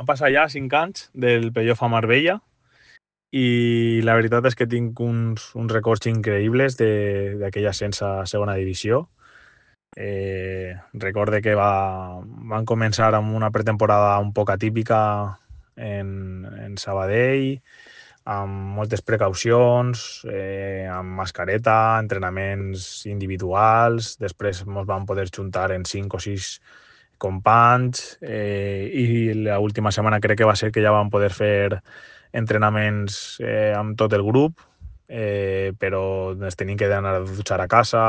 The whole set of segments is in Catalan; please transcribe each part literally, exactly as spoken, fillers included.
Han passat ja cinc anys del playoff a Marbella i la veritat és que tinc uns, uns records increïbles d'aquell ascens a segona divisió. Eh, recorde que va, van començar amb una pretemporada un poc atípica en, en Sabadell, amb moltes precaucions, eh, amb mascareta, entrenaments individuals, després ens vam poder juntar en cinc o sis companys eh, i l'última setmana crec que va ser que ja vam poder fer entrenaments eh, amb tot el grup, eh, però ens tenim que anar a dutxar a casa.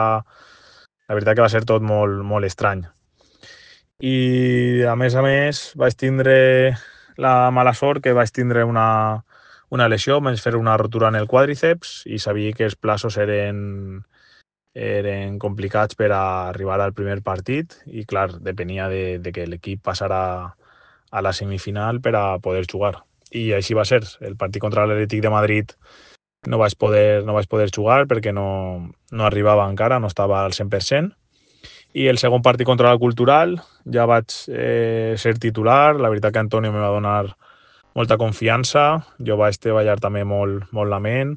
La veritat que va ser tot molt, molt estrany. I a més a més vaig tindre la mala sort que vaig tindre una, una lesió, vaig fer una rotura en el quàdriceps i sabia que els plaços eren, eren complicats per a arribar al primer partit i clar, depenia de, de que l'equip passara a la semifinal per a poder jugar. I així va ser. El partit contra l'Atlètic de Madrid no vaig poder, no vaig poder jugar perquè no, no arribava encara, no estava al cent per cent. I el segon partit contra la Cultural ja vaig eh, ser titular. La veritat que Antonio me va donar molta confiança. Jo vaig treballar també molt, molt la ment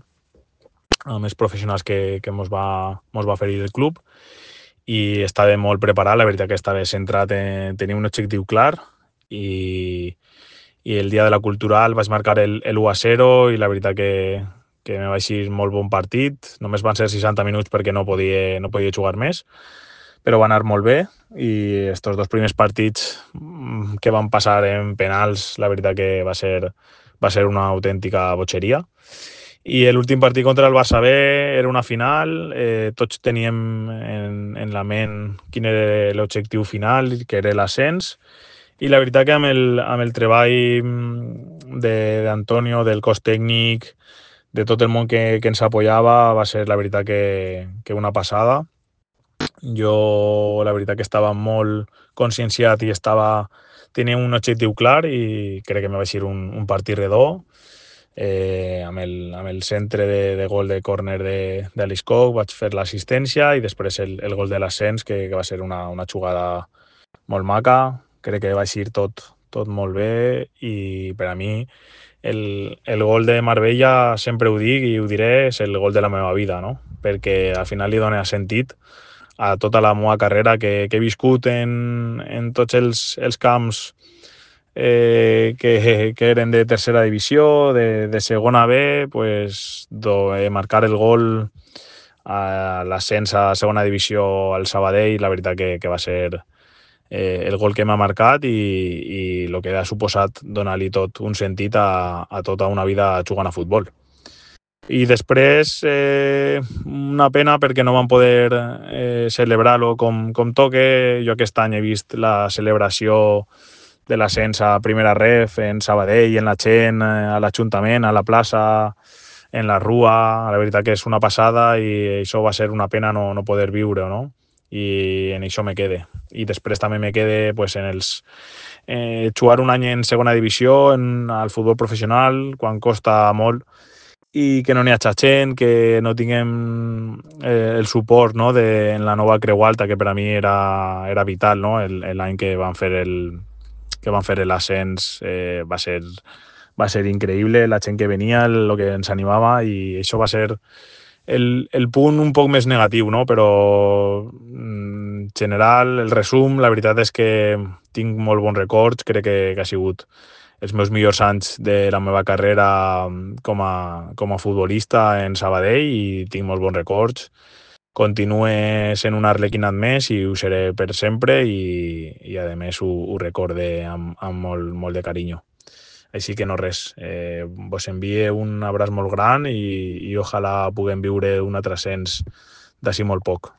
amb els professionals que, que mos, va, mos va oferir el club i estava molt preparat. La veritat que estava centrat en tenir un objectiu clar i, i el dia de la Cultural vaig marcar el, el u a zero i la veritat que, que me va eixir molt bon partit. Només van ser seixanta minuts perquè no podia, no podia jugar més, però va anar molt bé i estos dos primers partits que van passar en penals, la veritat que va ser, va ser una autèntica botxeria. I l'últim partit contra el Barça B era una final, eh, tots teníem en, en la ment quin era l'objectiu final, que era l'ascens, i la veritat que amb el, amb el treball d'Antonio, de, del cos tècnic, de tot el món que, que ens apoyava, va ser la veritat que, que una passada. Jo la veritat que estava molt conscienciat i estava, tenia un objectiu clar i crec que me va eixir un, un partit redó. Eh, amb, el, amb el centre de, de gol de córner d'Alice Cook vaig fer l'assistència i després el, el gol de l'ascens que, que va ser una, una jugada molt maca. Crec que va eixir tot, tot molt bé i per a mi el, el gol de Marbella, sempre ho dic i ho diré, és el gol de la meva vida, no? Perquè al final li dona sentit a tota la meva carrera que, que he viscut en, en tots els, els camps eh, que, que eren de tercera divisió, de, de segona B, pues, do, eh, marcar el gol a l'ascens a segona divisió al Sabadell, la veritat que, que va ser eh, el gol que m'ha marcat i, i el que ha suposat donar-li tot un sentit a, a tota una vida jugant a futbol. I després eh, una pena perquè no vam poder eh, celebrar-lo com, com toque. Jo aquest any he vist la celebració de l'ascens a primera ref en Sabadell, en la gent, a l'Ajuntament, a la plaça, en la rua. La veritat que és una passada i això va ser una pena no, no poder viure, no? I en això me quede. I després també me quede pues, en els eh, jugar un any en segona divisió, en, al futbol professional, quan costa molt, i que no n'hi ha gent, que no tinguem eh, el suport, no, de, en la nova Creu Alta, que per a mi era, era vital, no? L'any que van fer el que van fer l'ascens eh, va ser va ser increïble, la gent que venia, el que ens animava, i això va ser el, el punt un poc més negatiu, no? Però en general, el resum, la veritat és que tinc molt bons records, crec que, que ha sigut els meus millors anys de la meva carrera com a, com a futbolista en Sabadell i tinc molt bons records. Continue sent un arlequinat més i ho seré per sempre i, i a més ho, ho recorde amb, amb molt, molt de carinyo. Així que no res, eh, vos envie un abraç molt gran i, i ojalà puguem viure un altre ascens d'ací molt poc.